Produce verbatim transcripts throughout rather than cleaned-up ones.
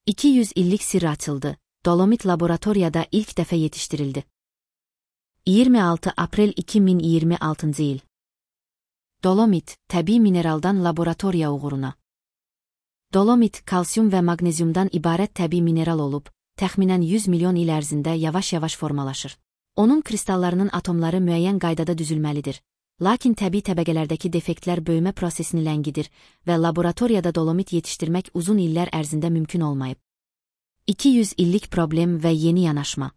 iki yüz illik sirri açıldı. Dolomit laboratoriyada ilk dəfə yetiştirildi. iyirmi altı aprel iki min iyirmi altıncı il. Dolomit, təbii mineraldan laboratoriya uğuruna. Dolomit, kalsium və maqneziumdan ibarət təbii mineral olub, təxminən yüz milyon il ərzində yavaş-yavaş formalaşır. Onun kristallarının atomları müəyyən qaydada düzülməlidir. Lakin təbii təbəqələrdəki defektlər böyümə prosesini ləngidir və laboratoriyada dolomit yetişdirmək uzun illər ərzində mümkün olmayıb. iki yüz illik problem və yeni yanaşma.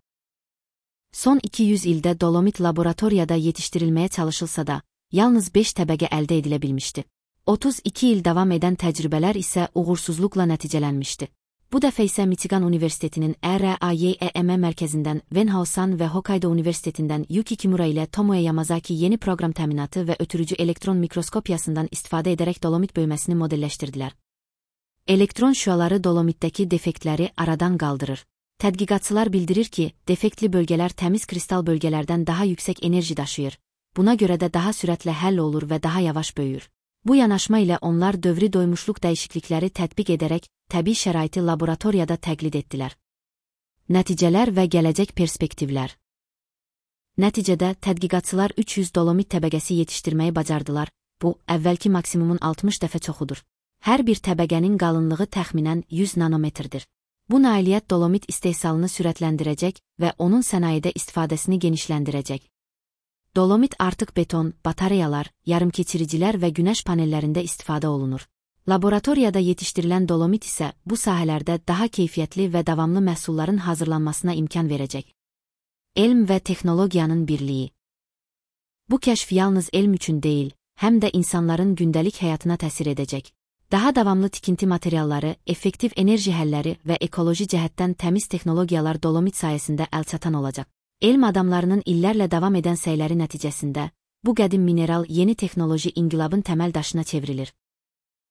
Son iki yüz ildə dolomit laboratoriyada yetişdirilməyə çalışılsa da, yalnız beş təbəqə əldə edilə bilmişdi. otuz iki il davam edən təcrübələr isə uğursuzluqla nəticələnmişdi. Bu dəfə isə Michigan Universitetinin R A Y E M mərkəzindən Venhausan və Hokkaido Universitetindən Yuki Kimura ilə Tomoe Yamazaki yeni proqram təminatı və ötürücü elektron mikroskopiyasından istifadə edərək dolomit böyüməsini modelləşdirdilər. Elektron şüaları dolomitdəki defektləri aradan qaldırır. Tədqiqatçılar bildirir ki, defektli bölgələr təmiz kristal bölgələrdən daha yüksək enerji daşıyır. Buna görə də daha sürətlə həll olur və daha yavaş böyür. Bu yanaşma ilə onlar dövri doymuşluq dəyişiklikləri tətbiq edərək təbii şəraiti laboratoriyada təqlid etdilər. Nəticələr və gələcək perspektivlər. Nəticədə tədqiqatçılar üç yüz dolomit təbəqəsi yetişdirməyi bacardılar. Bu, əvvəlki maksimumun altmış dəfə çoxudur. Hər bir təbəqənin qalınlığı təxminən yüz nanometrdir. Bu nailiyyət dolomit istehsalını sürətləndirəcək və onun sənayedə istifadəsini genişləndirəcək. Dolomit artıq beton, batareyalar, yarımkeçiricilər və günəş panellərində istifadə olunur. Laboratoriyada yetişdirilən dolomit isə bu sahələrdə daha keyfiyyətli və davamlı məhsulların hazırlanmasına imkan verəcək. Elm və texnologiyanın birliyi. Bu kəşf yalnız elm üçün deyil, həm də insanların gündəlik həyatına təsir edəcək. Daha davamlı tikinti materialları, effektiv enerji həlləri və ekoloji cəhətdən təmiz texnologiyalar dolomit sayəsində əlçatan olacaq. Elm adamlarının illərlə davam edən səyləri nəticəsində, bu qədim mineral yeni texnoloji inqilabın təməl daşına çevrilir.